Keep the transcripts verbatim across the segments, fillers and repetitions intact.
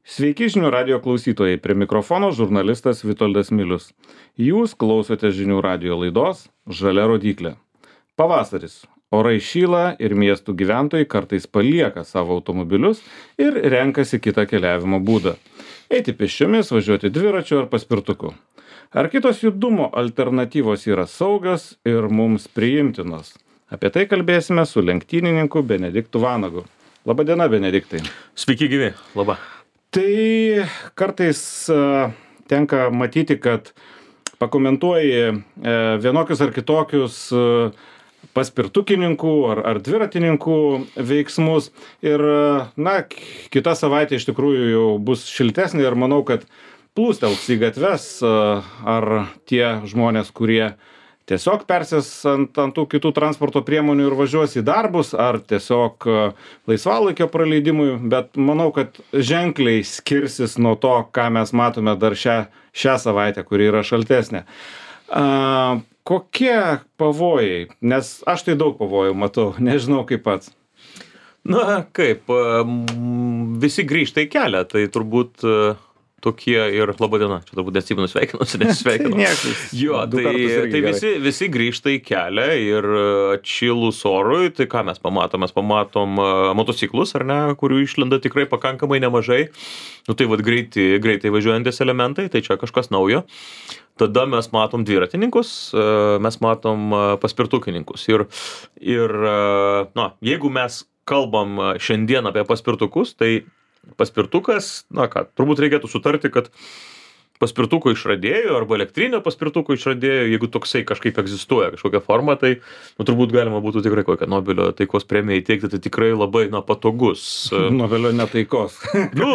Sveiki žinių radijo klausytojai, prie mikrofono žurnalistas Vitoldas Milius. Jūs klausote žinių radijo laidos Žalia rodyklė. Pavasaris. Orai šyla ir miestų gyventojai kartais palieka savo automobilius ir renkasi kitą keliavimo būdą. Eiti pėsčiomis, važiuoti dviračiu ar paspirtuku. Ar kitos judumo alternatyvos yra saugios ir mums priimtinos? Apie tai kalbėsime su lenktynininku Benediktu Vanagu. Labadiena, Benediktai. Sveiki gyvi, laba. Tai kartais uh, tenka matyti, kad pakomentuoji uh, vienokius ar kitokius uh, paspirtukininkų ar, ar dviratininkų veiksmus ir, uh, na, kita savaitė iš tikrųjų jau bus šiltesnė ir manau, kad plūstels į gatves uh, ar tie žmonės, kurie tiesiog persės ant, ant tų kitų transporto priemonių ir važiuos į darbus, ar tiesiog laisvalaikio praleidimui, bet manau, kad ženkliai skirsis nuo to, ką mes matome dar šią, šią savaitę, kuri yra šaltesnė. A, kokie pavojai? Nes aš tai daug pavojų matau, nežinau kaip pats. Na, kaip, visi grįžta į kelią, tai turbūt tokie ir labadiena, čia turbūt atsimenu sveikinuosi, nesveikinu. Jo, tai, tai visi, visi grįžta į kelią ir atšilus orui, tai ką mes pamatom? Mes pamatom motociklus, ar ne, kurių išlenda tikrai pakankamai nemažai. Nu tai vat greitai, greitai važiuojantis elementai, tai čia kažkas naujo. Tada mes matom dviratininkus, mes matom paspirtukininkus. Ir, ir na, jeigu mes kalbam šiandien apie paspirtukus, tai paspirtukas, na ką, turbūt reikėtų sutarti, kad paspirtuko išradėjo arba elektrinio paspirtuko išradėjo, jeigu toksai kažkaip egzistuoja kažkokia forma, tai nu, turbūt galima būtų tikrai kokią Nobelio taikos premiją įteikti, tai tikrai labai na, patogus. Nobelio netaikos. Nu,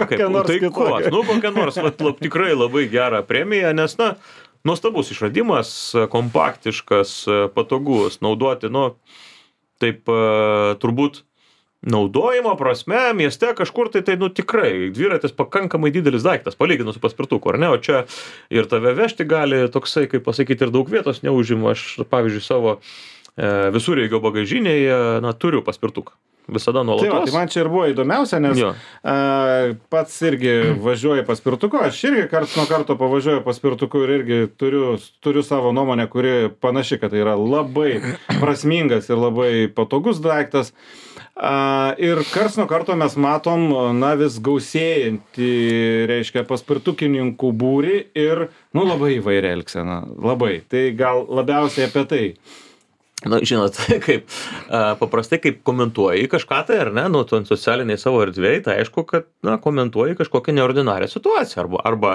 kaip, taikos, nu kokia nors vat, lab, tikrai labai gerą premiją, nes, na, nuostabus išradimas, kompaktiškas, patogus, naudoti, nu, taip turbūt naudojimo prasme, mieste kažkur tai, tai, nu, tikrai, dviratis pakankamai didelis daiktas, palyginus su paspirtuku, ar ne, o čia ir tave vežti gali toksai, kaip pasakyti, ir daug vietos neužima. Aš, pavyzdžiui, savo e, visureigio bagažinėje, na, turiu paspirtuką. Visada nuolatos. Tai, va, tai man čia ir buvo įdomiausia, nes a, pats irgi važiuoju paspirtuku, aš irgi karts nuo karto pavažiuoju paspirtuku ir irgi turiu, turiu savo nuomonę, kuri panaši, kad tai yra labai prasmingas ir labai patogus daiktas. A, ir karts nuo karto mes matom, na, vis gausėjantį, reiškia, paspirtukininkų būrį ir, nu, labai įvairią elgseną, labai. Tai gal labiausiai apie tai. Na, žinot, kaip paprastai, kaip komentuoji kažką tai, ar ne, nu, socialiniai savo erdvėje, tai aišku, kad, na, komentuoji kažkokią neordinarią situaciją, arba, arba,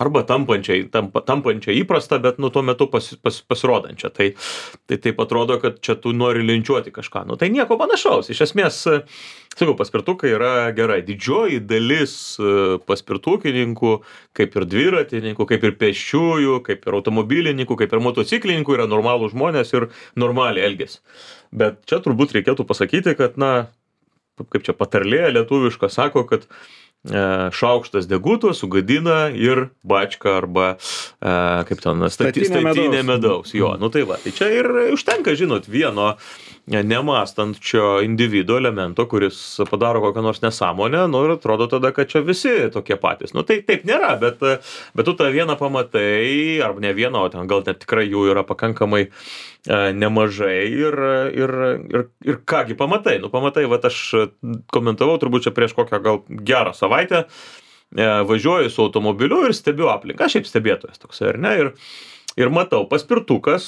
arba tampančiai, tampa, tampančiai įprastą, bet, nu, tuo metu pas, pas, pasirodančią. Tai, tai taip atrodo, kad čia tu nori linčiuoti kažką. Nu, tai nieko panašaus. Iš esmės, sakau, paspirtukai yra gerai. Didžioji dalis paspirtukininkų, kaip ir dviratininkų, kaip ir pėsčiųjų, kaip ir automobilininkų, kaip ir motociklininkų yra normalūs žmonės ir normaliai elgiasi. Bet čia turbūt reikėtų pasakyti, kad, na, kaip čia patarlė lietuviška sako, kad e, šaukštas deguto sugadina ir bačką arba, e, kaip ten, stati, statinė statinė medaus. medaus. Jo, nu tai va, tai čia ir užtenka, žinot, vieno nemąstančio individo elemento, kuris padaro kokią nors nesąmonę, nu ir atrodo tada, kad čia visi tokie patys. Nu tai taip nėra, bet, bet tu tą vieną pamatai, arba ne vieną, o ten gal net tikrai jų yra pakankamai e, nemažai ir, ir, ir, ir kągi pamatai. Nu pamatai, va aš komentavau turbūt čia prieš kokią gal gerą savaitę, e, važiuoju su automobiliu ir stebiu aplinką, aš šiaip stebėtojas toksai, ar ne, ir Ir matau, paspirtukas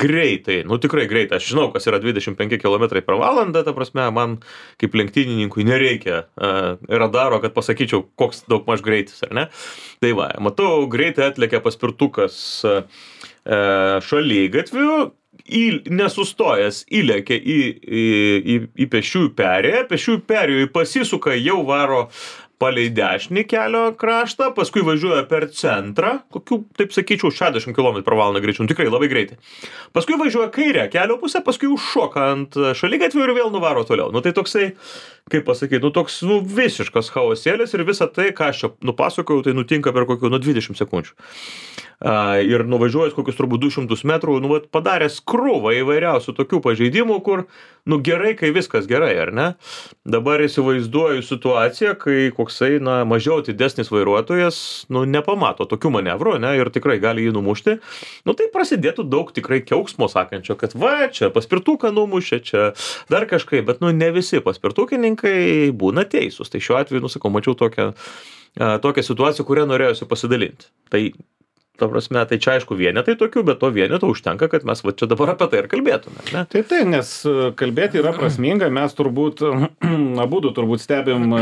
greitai, nu tikrai greitai, aš žinau, kas yra dvidešimt penki kilometrai per valandą, ta prasme, man kaip lenktynininkui nereikia uh, radaro, kad pasakyčiau, koks daugmaž greitis, ar ne? Tai va, matau, greitai atlėkia paspirtukas uh, šaligatviu, į, nesustojęs įlėkia į, į, į, į pėsčiųjų perėją, pėsčiųjų perėjoj pasisuka, jau varo palei dešinį kelio kraštą, paskui važiuoja per centrą, kokių, taip sakyčiau, šešiasdešimt kilometrų per valandą greičiu, tikrai labai greitai. Paskui važiuoja kairę kelio pusę, paskui užšoka ant šaligatvių ir vėl nuvaro toliau. Nu tai toksai, kaip pasakyti, nu toks nu, visiškas chaosėlis ir visa tai, ką aš čia nupasakojau, tai nutinka per kokių, nu, dvidešimt sekundžių. ir nuvažiuojęs kokius turbūt du šimtus metrų, nu, vat, padaręs krūvą įvairiausių tokių pažeidimų, kur, nu, gerai, kai viskas gerai, ar ne? Dabar įsivaizduoju situaciją, kai koksai, na, mažiau atidesnis vairuotojas, nu, nepamato tokių manevrų, ne, ir tikrai gali jį numušti. Nu, tai prasidėtų daug tikrai kiauksmo sakančio, kad va, čia paspirtuką numušė, čia dar kažkaip, bet, nu, ne visi paspirtukininkai būna teisūs. Tai šiuo atveju, nu, sakau, mačiau tokią, tokią situaciją, kurią norėjusi pasidalinti. Tai ta prasme, tai čia aišku vienetai tokių, bet to vieneto užtenka, kad mes va čia dabar apie tai ir kalbėtume. Ne? Taip, taip, nes kalbėti yra prasminga, mes turbūt, abudu turbūt stebim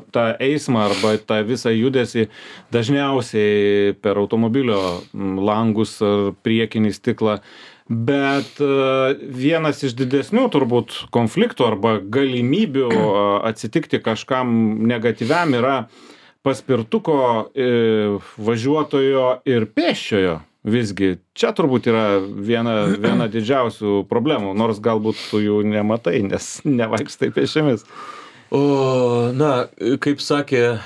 tą eismą arba tą visą judesį dažniausiai per automobilio langus ar priekinį stiklą, bet vienas iš didesnių turbūt konfliktų arba galimybių atsitikti kažkam negatyviam yra paspirtuko e, važiuotojo ir pėsčiojo. Visgi, čia turbūt yra viena, viena didžiausių problemų, nors galbūt tu jų nematai, nes nevaikštai pėsčiomis. O, na, kaip sakė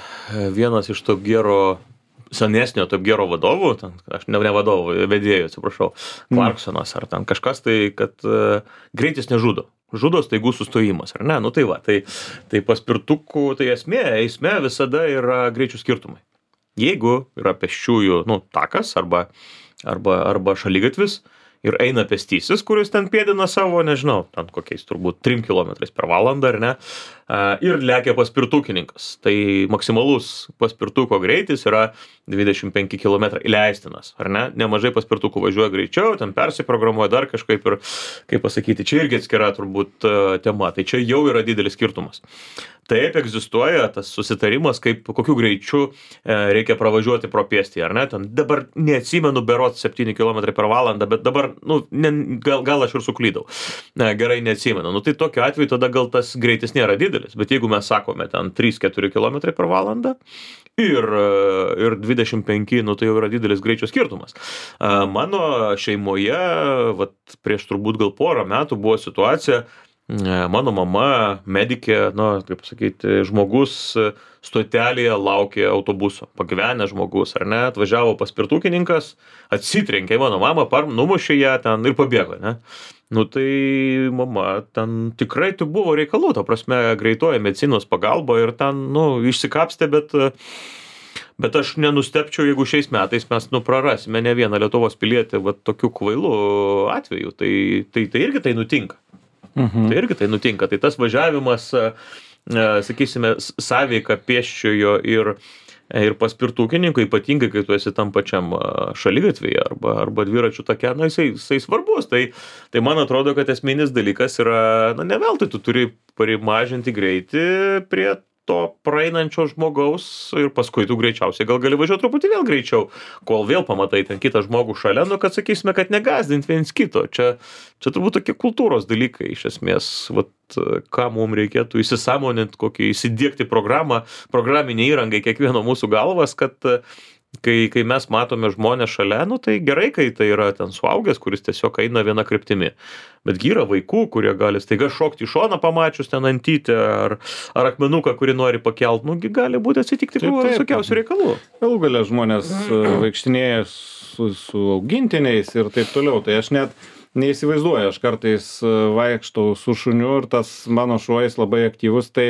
vienas iš Top Gearo, senesnio Top Gearo vadovų, ten, aš ne, ne vadovų, vedėjų, atsiprašau, Clarksonas ar ten kažkas, tai kad uh, greitis nežudo. Žudo staigus sustojimas, ar ne? Nu tai va, tai, tai paspirtukų, tai esmė, eisme visada yra greičių skirtumai. Jeigu yra pėsčiųjų, nu, takas arba, arba, arba šaligatvis ir eina pėstysis, kuris ten pėdina savo, nežinau, ten kokiais turbūt trim kilometrais per valandą, ar ne, ir lekia paspirtukininkas. Tai maksimalus paspirtuko greitis yra dvidešimt penki kilometrai leistinas, ar ne? Nemažai paspirtukų važiuoja greičiau, ten persiprogramuoja dar kažkaip ir, kaip pasakyti, čia irgi atskira turbūt tema, tai čia jau yra didelis skirtumas. Taip egzistuoja tas susitarimas, kaip kokiu greičiu reikia pravažiuoti pro pėstį, ar ne? Ten dabar neatsimenu berods septyni kilometrai per valandą, bet dabar, nu, ne, gal, gal aš ir suklydau. Ne, gerai neatsimenu. Nu, tai tokiu atveju tada gal tas greitis nėra didelis, bet jeigu mes sakome ten trys keturi kilometrai per valandą ir, ir dvidešimt penki, nu, tai jau yra didelis greičio skirtumas. Mano šeimoje, vat, prieš turbūt gal porą metų buvo situacija, mano mama, medikė, nu, kaip sakyti, žmogus stotelėje laukė autobuso, pagyvenęs žmogus, ar ne, atvažiavo paspirtukininkas, atsitrenkė mano mamą, par, numušė ją ten ir pabėgo, ne. Nu tai mama, ten tikrai tai buvo reikalų, ta prasme, greitoji medicinos pagalba ir ten, nu, išsikapstė, bet, bet aš nenustepčiau, jeigu šiais metais mes, nu, prarasime ne vieną Lietuvos pilietį, va, tokių kvailų atvejų, tai, tai, tai irgi tai nutinka. Mhm. Tai irgi tai nutinka. Tai tas važiavimas, sakysime, sąveika pėsčiojo ir, ir paspirtukininko, ypatingai, kai tu esi tam pačiam šaligatvėje arba, arba dviračių take, na, jisai, jisai svarbus. Tai, tai man atrodo, kad esminis dalykas yra, na, ne veltui tu turi primažinti greitį prie to praeinančio žmogaus ir paskui tu greičiausiai gal gali važiuoti truputį vėl greičiau, kol vėl pamatai ten kitą žmogų šalia, nu, kad sakysime, kad negazdint viens kito. Čia, čia turbūt tokie kultūros dalykai, iš esmės, vat, ką mums reikėtų įsisamoninti, kokį įsidiegti programą, programinį įrangą į kiekvieno mūsų galvas, kad kai, kai mes matome žmonės šalia, nu, tai gerai, kai tai yra ten suaugęs, kuris tiesiog eina viena kryptimi. Betgi yra vaikų, kurie gali staiga šokti į šoną pamačius ten antytę ar, ar akmenuką, kurį nori pakelt, nu, gali būti atsitikti visokiausių reikalų. Galų gale žmonės vaikštinėja su, su augintiniais ir taip toliau, tai aš net neįsivaizduoju, aš kartais vaikštau su šuniu ir tas mano šuo jis labai aktyvus, tai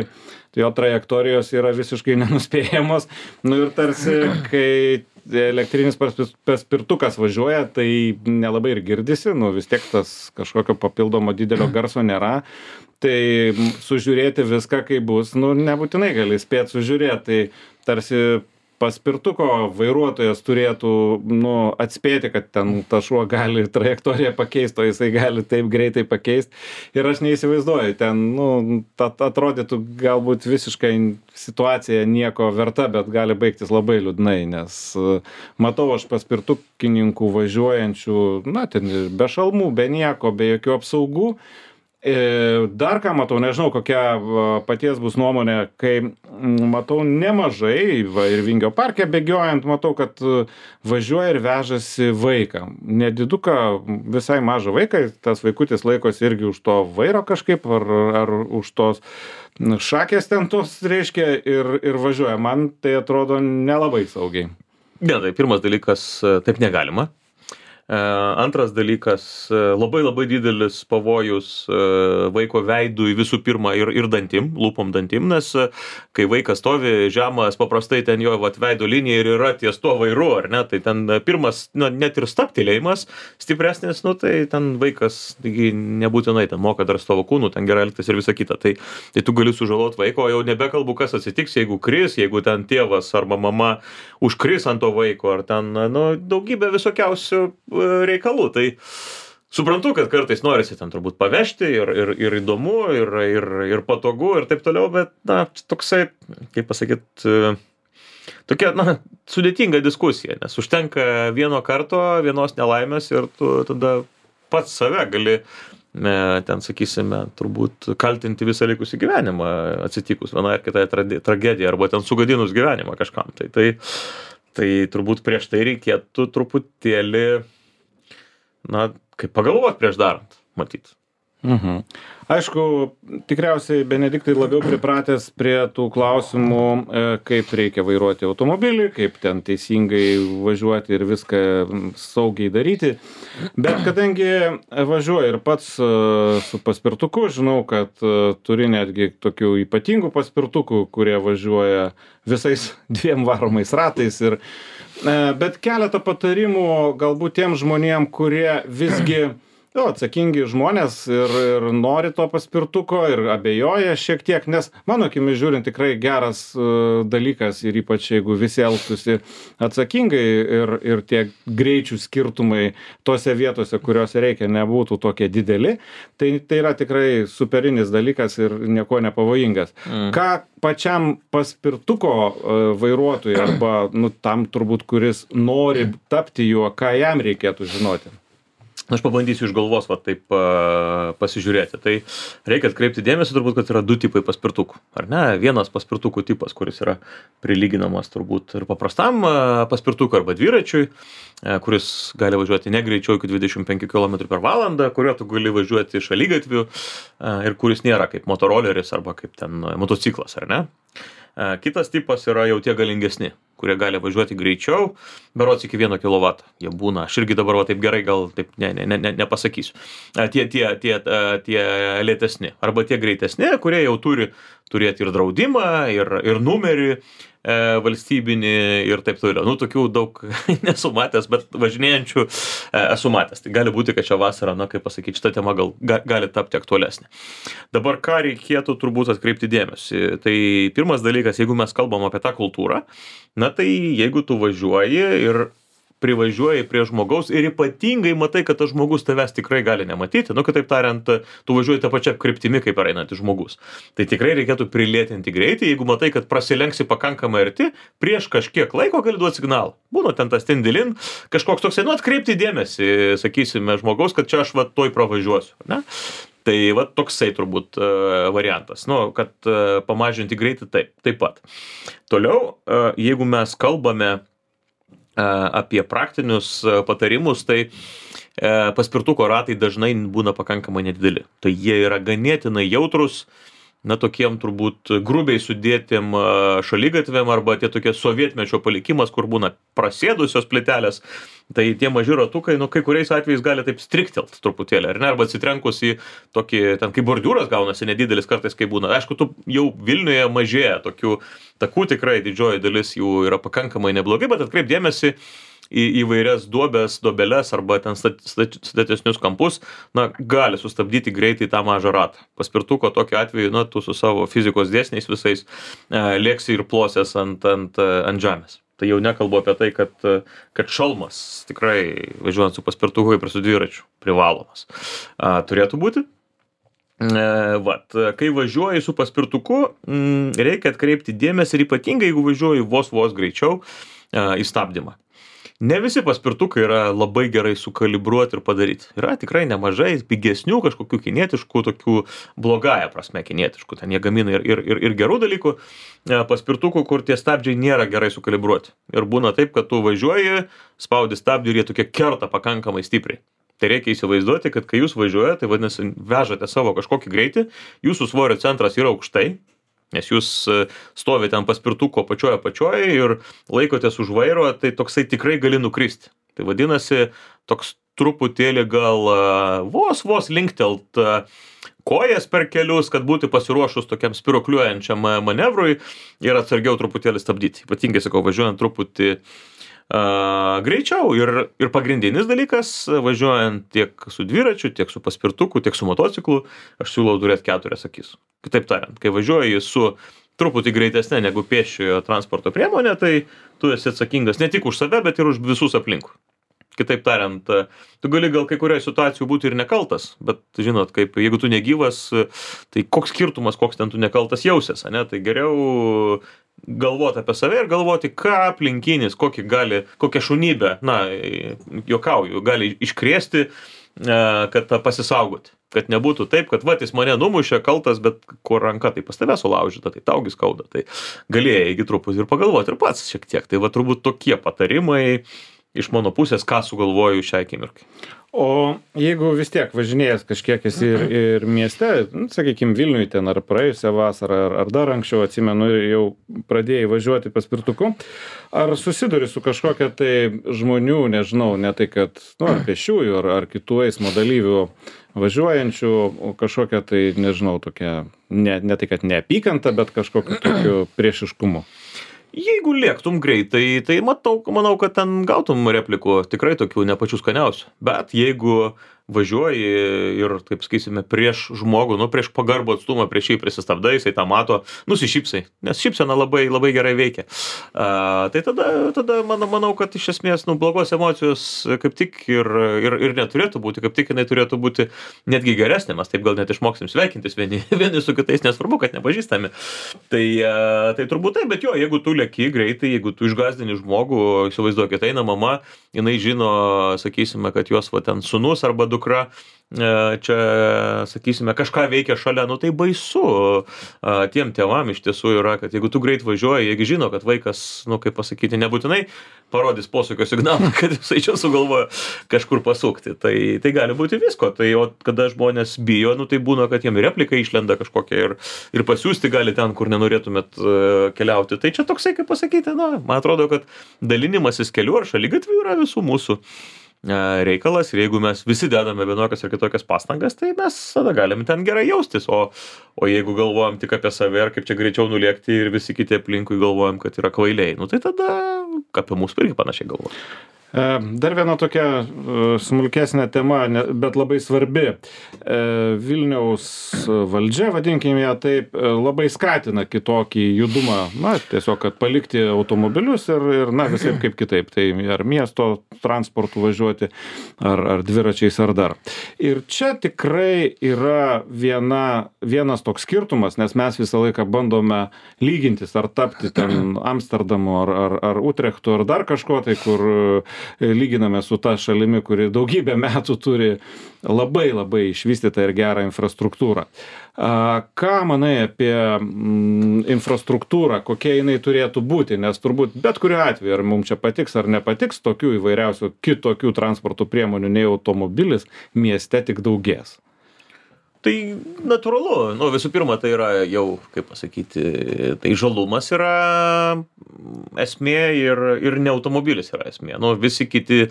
jo trajektorijos yra visiškai nenuspėjamos. Nu ir tarsi, kai elektrinis paspirtukas važiuoja, tai nelabai ir girdisi, nu vis tiek tas kažkokio papildomo didelio garso nėra. Tai sužiūrėti viską, kaip bus, nu nebūtinai gali spėti sužiūrėti, tai tarsi paspirtuko vairuotojas turėtų, nu, atspėti, kad ten ta šuo gali trajektoriją pakeisti, o jisai gali taip greitai pakeisti. Ir aš neįsivaizduoju, ten, nu, atrodytų galbūt visiškai situacija nieko verta, bet gali baigtis labai liūdnai, nes matau aš paspirtukininkų važiuojančių, na, ten be šalmų, be nieko, be jokių apsaugų. Dar ką matau, nežinau, kokia paties bus nuomonė, kai matau nemažai, va, ir Vingio parke bėgiojant, matau, kad važiuoja ir vežasi vaiką. Nediduką, visai mažą vaiką, tas vaikutis laikosi irgi už to vairo kažkaip, ar, ar už tos šakės ten tos, reiškia, ir, ir važiuoja. Man tai atrodo nelabai saugiai. Ne, tai pirmas dalykas, taip negalima. Antras dalykas, labai labai didelis pavojus vaiko veidui visų pirma ir, ir dantim, lūpom dantim, nes kai vaikas stovi žemas, paprastai ten jo vat, veido linija ir yra ties tuo vairu, ar ne, tai ten pirmas, na, net ir stabtelėjimas stipresnis, nu, tai ten vaikas taigi, nebūtinai ten moka dar savo kūnų, ten gerai elgtis ir visa kita, tai, tai tu gali sužalot vaiko, jau nebekalbu, kas atsitiks, jeigu kris, jeigu ten tėvas arba mama užkris ant to vaiko, ar ten, nu, daugybė visokiausių reikalų, tai suprantu, kad kartais norisi ten turbūt pavežti ir, ir, ir įdomu, ir, ir, ir patogu, ir taip toliau, bet, na, toksai, kaip pasakyt, tokia, na, sudėtinga diskusija, nes užtenka vieno karto, vienos nelaimės ir tu tada pats save gali, ten, sakysime, turbūt kaltinti visą likusį gyvenimą atsitikus vienai ar kitai tragedijai, arba ten sugadinus gyvenimą kažkam. Tai, tai, tai turbūt prieš tai reikėtų truputėlį, na, kaip pagalvot prieš darant, matyt. Mhm. Aišku, tikriausiai Benediktai labiau pripratęs prie tų klausimų, kaip reikia vairuoti automobilį, kaip ten teisingai važiuoti ir viską saugiai daryti. Bet kadangi važiuoju ir pats su paspirtuku, žinau, kad turi netgi tokių ypatingų paspirtukų, kurie važiuoja visais dviem varomais ratais. Ir, bet keletą patarimų galbūt tiem žmonėm, kurie visgi jo, atsakingi žmonės ir, ir nori to paspirtuko ir abejoja šiek tiek, nes mano akimis žiūrint tikrai geras uh, dalykas ir ypač jeigu visi elgtųsi atsakingai ir, ir tie greičių skirtumai tose vietose, kuriuose reikia, nebūtų tokie dideli, tai, tai yra tikrai superinis dalykas ir nieko nepavojingas. Mm. Ką pačiam paspirtuko uh, vairuotojui arba nu, tam turbūt, kuris nori tapti juo, ką jam reikėtų žinoti? Aš pabandysiu iš galvos va, taip uh, pasižiūrėti. Tai reikia atkreipti dėmesį turbūt, kad yra du tipai paspirtukų. Ar ne? Vienas paspirtukų tipas, kuris yra prilyginamas turbūt ir paprastam uh, paspirtukui arba dviračiui, uh, kuris gali važiuoti ne greičiau iki dvidešimt penkių kilometrų per valandą, kuriuo tu gali važiuoti šaligatviu uh, ir kuris nėra kaip motoroleris arba kaip ten uh, motociklas, ar ne? Uh, kitas tipas yra jau tie galingesni, kurie gali važiuoti greičiau, berods iki vieno kilovato. Jie būna, aš irgi dabar va, taip gerai gal taip ne, ne, ne, nepasakysiu. Tie, tie, tie, tie lėtesni arba tie greitesni, kurie jau turi turėti ir draudimą, ir, ir numerį e, valstybinį ir taip toliau. Nu, tokių daug nesu matęs, bet važinėjančių e, esu matęs. Tai gali būti, kad šią vasarą, na, kaip pasakyti, šita tema gal ga, gali tapti aktualesnė. Dabar ką reikėtų turbūt atkreipti dėmesį? Tai pirmas dalykas, jeigu mes kalbam apie tą kultūrą, na tai jeigu tu važiuoji ir privažiuoji prie žmogaus ir ypatingai matai, kad tas žmogus tavęs tikrai gali nematyti, nu, kitaip tariant, tu važiuoji tą pačią kryptimi, kaip einantis žmogus. Tai tikrai reikėtų prilėtinti greitį, jeigu matai, kad prasilenksi pakankamai arti, prieš kažkiek laiko gali duoti signalą. Būna ten tas tindilin, kažkoks toksai, nu, atkreipti dėmesį, sakysime, žmogaus, kad čia aš va toj pravažiuosiu, ne? Tai va toksai turbūt uh, variantas, nu, kad uh, pamažinti greitį taip, taip pat. Toliau, uh, jeigu mes kalbame apie praktinius patarimus, tai paspirtuko ratai dažnai būna pakankamai nedideli. Tai jie yra ganėtinai jautrus, na, tokiem turbūt grubiai sudėtiem šaligatviam arba tie tokie sovietmečio palikimas, kur būna prasėdusios plytelės, tai tie maži ratukai, nu, kai kuriais atvejais gali taip striktelt truputėlį, ar ne, arba atsitrenkus į tokį, ten kaip bordiūras gaunasi nedidelis kartais, kai būna. Aišku, tu jau Vilniuje mažėja tokių takų, tikrai didžioji dalis jų yra pakankamai neblogai, bet atkreip dėmesį į įvairias duobes, dobeles arba ten statesnius kampus, na, gali sustabdyti greitai tą mažą ratą. Paspirtuko tokiu atveju, na, tu su savo fizikos dėsniais visais e, lėksi ir plosies ant, ant, ant žemės. Tai jau nekalbu apie tai, kad, kad šalmas tikrai važiuojant su paspirtuku ir su dviračiu privalomas. A, turėtų būti. E, vat, kai važiuoji su paspirtuku, m, reikia atkreipti dėmesį ir ypatingai, jeigu važiuoji vos vos greičiau, e, į stabdymą. Ne visi paspirtukai yra labai gerai sukalibruoti ir padaryti. Yra tikrai nemažai pigesnių kažkokių kinietiškų, tokių blogąją prasme kinietiškų. Ten jie gamina ir, ir, ir, ir gerų dalykų paspirtukų, kur tie stabdžiai nėra gerai sukalibruoti. Ir būna taip, kad tu važiuoji, spaudi stabdį ir jie tokie kerta pakankamai stipriai. Tai reikia įsivaizduoti, kad kai jūs važiuojate, tai vadinasi, vežate savo kažkokį greitį, jūsų svorio centras yra aukštai, Nes jūs stovite ant paspirtuko pačioje pačioje ir laikotės už vairo, tai toksai tikrai gali nukristi. Tai vadinasi, toks truputėlį gal vos, vos linktelt kojas per kelius, kad būti pasiruošus tokiam spiruokliuojančiam manevrui ir atsargiau truputėlį stabdyti. Ypatingai, sakau, važiuojant truputį uh, greičiau. Ir, ir pagrindinis dalykas, važiuojant tiek su dviračiu, tiek su paspirtuku, tiek su motociklu, aš siūlau turėti keturias akis. Kitaip tariant, kai važiuoji su truputį greitesnė negu pėsčiojo transporto priemonė, tai tu esi atsakingas ne tik už save, bet ir už visus aplinkui. Kitaip tariant, tu gali gal kai kurioje situacijų būti ir nekaltas, bet žinot, kaip jeigu tu negyvas, tai koks skirtumas, koks ten tu nekaltas jausies, ne? Tai geriau galvoti apie save ir galvoti, ką aplinkinis, kokį gali, kokią šunybę, na, juokauju, gali iškrėsti, kad pasisaugoti. Kad nebūtų taip, kad va, jis mane numušė kaltas, bet kur ranka tai pas tave sulaužyta, tai taugi skauda. Tai galėjai iki truputį ir pagalvoti ir pats šiek tiek. Tai va, turbūt tokie patarimai iš mano pusės, ką sugalvoju šią akimirkai. O jeigu vis tiek važinėjęs kažkiek esi ir, ir mieste, nu, sakykime, Vilniui ten ar praėjusią vasarą, ar, ar dar anksčiau, atsimenu, jau pradėjai važiuoti paspirtuku, ar susiduri su kažkokia tai žmonių, nežinau, ne tai, kad, nu, ar pėsčiųjų, ar, ar kitų eismo dalyvių važiuojančių, kažkokia tai, nežinau, tokia, ne, ne tai, kad neapykanta, bet kažkokiu tokiu priešiškumu. Jeigu lėktum greitai, tai matau, manau, kad ten gautum replikų tikrai tokių ne pačių skaniausių. Bet jeigu važiuoji ir, taip sakysime, prieš žmogų, nu, prieš pagarbų atstumą, prieš jį prisistabdai, jisai tą mato, nusišypsai, nes šypsena labai, labai gerai veikia. A, tai tada, tada manau, manau, kad iš esmės, nu, blogos emocijos kaip tik ir, ir, ir neturėtų būti, kaip tik jinai turėtų būti netgi geresnė, mes taip gal net išmoksim sveikintis vieni, vieni su kitais, nesvarbu, kad nepažįstami. Tai, a, tai turbūt taip, bet jo, jeigu tu lėki greitai, jeigu tu išgąsdini žmogų, įsivaizduokit, eina mama, jinai žino, sakysime, kad jos va ten sūnus arba dukra čia, sakysime, kažką veikia šalia, nu tai baisu. Tiem tėvam iš tiesų yra, kad jeigu tu greit važiuoji, jeigu žino, kad vaikas, nu kaip pasakyti, nebūtinai parodys posūkio signalą, kad jisai čia sugalvoja kažkur pasukti. Tai, tai gali būti visko. Tai o kada žmonės bijo, nu tai būna, kad jiem replika išlenda kažkokia ir, ir pasiųsti gali ten, kur nenorėtumėt keliauti. Tai čia toksai, kaip pasakyti, na, man atrodo, kad dalinimasis keliu ar šaligatvių yra visų mūsų reikalas ir jeigu mes visi dedame vienokias ar kitokias pastangas, tai mes tada galim ten gerai jaustis, o, o jeigu galvojam tik apie save ir kaip čia greičiau nulėkti ir visi kiti aplinkui galvojam, kad yra kvailiai, nu tai tada apie mūsų irgi panašiai galvoja. Dar viena tokia smulkesnė tema, bet labai svarbi. Vilniaus valdžia, vadinkime ją taip, labai skatina kitokį judumą, na, tiesiog, kad palikti automobilius ir, ir na, visai kaip kitaip. Tai ar miesto transportu važiuoti, ar, ar dviračiais, ar dar. Ir čia tikrai yra viena, vienas toks skirtumas, nes mes visą laiką bandome lygintis, ar tapti ten Amsterdamu, ar, ar, ar Utrechtu, ar dar kažko, tai kur lyginame su ta šalimi, kuri daugybę metų turi labai labai išvystytą ir gerą infrastruktūrą. Ką manai apie infrastruktūrą, kokia jinai turėtų būti, nes turbūt bet kuriuo atveju, ar mums čia patiks ar nepatiks, tokių įvairiausių kitokių transporto priemonių nei automobilis mieste tik daugės. Tai natūralu, nu visų pirma, tai yra jau, kaip pasakyti, tai žalumas yra esmė ir, ir ne automobilis yra esmė. Nu, visi kiti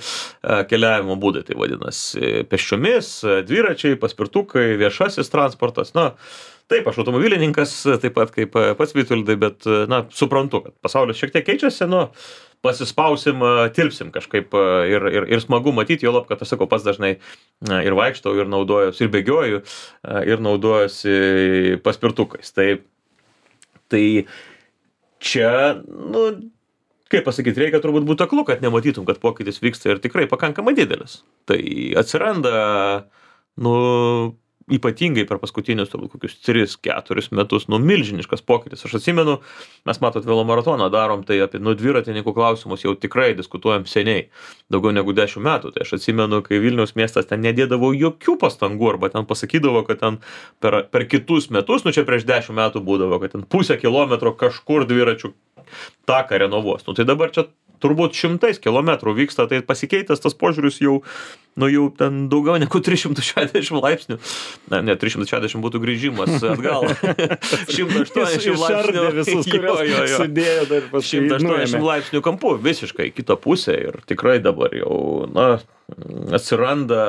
keliavimo būdai, tai vadinasi pėsčiomis, dviračiai, paspirtukai, viešasis transportas. Na, taip, aš automobilininkas, taip pat kaip pats Vitoldai, bet, na, suprantu, kad pasaulis šiek tiek keičiasi, nu, pasispausim, tilpsim kažkaip ir, ir, ir smagu matyti, jo lab, kad aš sakau, pats dažnai ir vaikštau, ir naudojuosi, ir bėgioju, ir naudojuosi paspirtukais. Tai, tai čia, nu, kaip pasakyti, reikia turbūt būti aklu, kad nematytum, kad pokytis vyksta ir tikrai pakankamai didelis. Tai atsiranda, nu, ypatingai per paskutinius turbūt kokius tris keturis metus, nu, milžiniškas pokytis. Aš atsimenu, mes matot velomaratoną darom, tai apie nu, dviratininkų klausimus jau tikrai diskutuojam seniai, daugiau negu dešimt metų. Tai aš atsimenu, kai Vilniaus miestas ten nedėdavo jokių pastangų, arba ten pasakydavo, kad ten per, per kitus metus, nu čia prieš dešimt metų būdavo, kad ten pusę kilometro kažkur dviračių taką renovuos. Nu tai dabar čia turbūt šimtais kilometrų vyksta, tai pasikeitęs tas požiūris jau, nu jau ten daugiau negu trys šimtai šešiasdešimt laipsnių. Na, ne, trys šimtai šešiasdešimt būtų grįžimas atgal. šimtas aštuoniasdešimt laipsnių. Visus, kurios jo, jo, jo. Sudėjo dar paskui. šimtas aštuoniasdešimt laipsnių kampu, visiškai kitą pusę ir tikrai dabar jau, na, atsiranda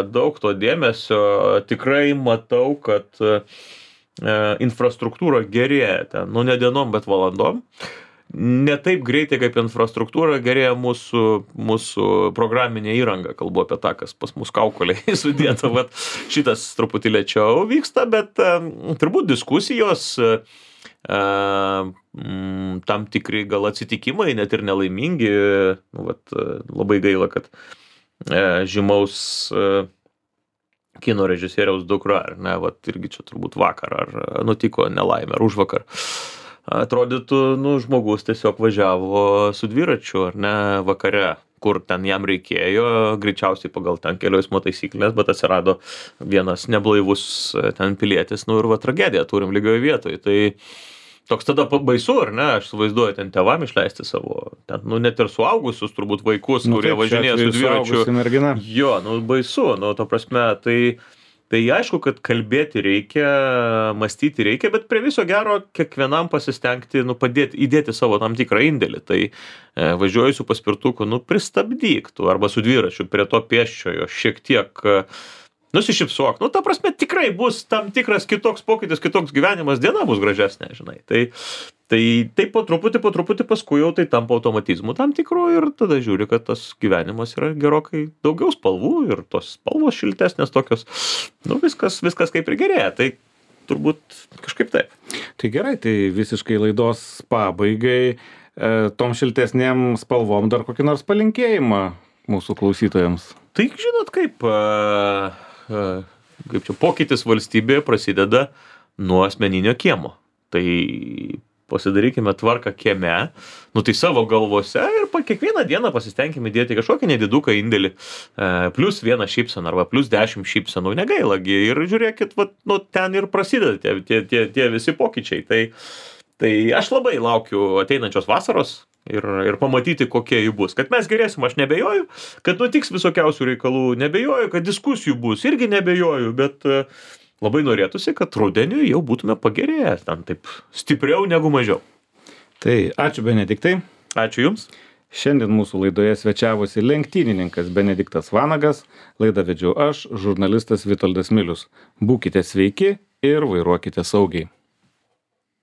daug to dėmesio. Tikrai matau, kad e, infrastruktūra gerėja ten, nu ne dienom, bet valandom. Ne taip greitai kaip infrastruktūra gerėja mūsų, mūsų programinė įranga, kalbu apie tą, kas pas mus kaukolėje sudėta, vat šitas truputį lėčiau vyksta, bet um, turbūt diskusijos, uh, um, tam tikri gal atsitikimai, net ir nelaimingi, nu, vat, uh, labai gaila, kad uh, žymaus uh, kino režisieriaus dukra, ar ne, vat irgi čia turbūt vakar, ar nutiko nelaimė, ar užvakar. Atrodytų, nu, žmogus tiesiog važiavo su dviračiu, ar ne, vakare, kur ten jam reikėjo, greičiausiai pagal ten kelių eismo taisyklės, bet atsirado vienas neblaivus ten pilietis, nu ir va tragediją turim lygioje vietoje. Tai toks tada baisu, ar ne, aš suvaizduoju ten tėvam išleisti savo, ten, nu, net ir suaugusius turbūt vaikus, nu, kurie važinėja su dviračiu. Jo, nu, baisu, nu, to prasme, tai... Tai aišku, kad kalbėti reikia, mąstyti reikia, bet prie viso gero kiekvienam pasistengti, nu, padėti, įdėti savo tam tikrą indėlį. Tai e, važiuoju su paspirtuku, nu, pristabdyk tu, arba su dviračiu prie to pėsčiojo, šiek tiek e, nusišypsok. Nu, ta prasme, tikrai bus tam tikras kitoks pokytis, kitoks gyvenimas, diena bus gražesnė, žinai. Tai, tai, tai po truputį, po truputį paskui jau tai tampa automatizmu tam tikru ir tada žiūri, kad tas gyvenimas yra gerokai daugiau spalvų ir tos spalvos šiltesnės tokios. Nu, viskas, viskas kaip ir gerėja, tai turbūt kažkaip taip. Tai gerai, tai visiškai laidos pabaigai, e, tom šiltesnėm spalvom dar kokį nors palinkėjimą mūsų klausytojams. Tai žinot kaip, e, e, kaip čia pokytis valstybėje prasideda nuo asmeninio kiemo. Tai pasidarykime tvarką kieme, nu tai savo galvose ir pa kiekvieną dieną pasistengime dėti kažkokį nediduką indėlį, e, plus vieną šypseną arba plus dešimt šypsenų, negailagi ir žiūrėkit, vat, nu, ten ir prasideda tie, tie, tie, tie visi pokyčiai. Tai, tai aš labai laukiu ateinančios vasaros ir, ir pamatyti, kokie jų bus. Kad mes gerėsim, aš nebejoju, kad nutiks visokiausių reikalų, nebejoju, kad diskusijų bus, irgi nebejoju, bet labai norėtųsi, kad rudeniui jau būtume pagerėję, ten taip stipriau negu mažiau. Tai ačiū Benediktai. Ačiū Jums. Šiandien mūsų laidoje svečiavosi lenktynininkas Benediktas Vanagas, laidą vedžiau aš, žurnalistas Vitoldas Milius. Būkite sveiki ir vairuokite saugiai.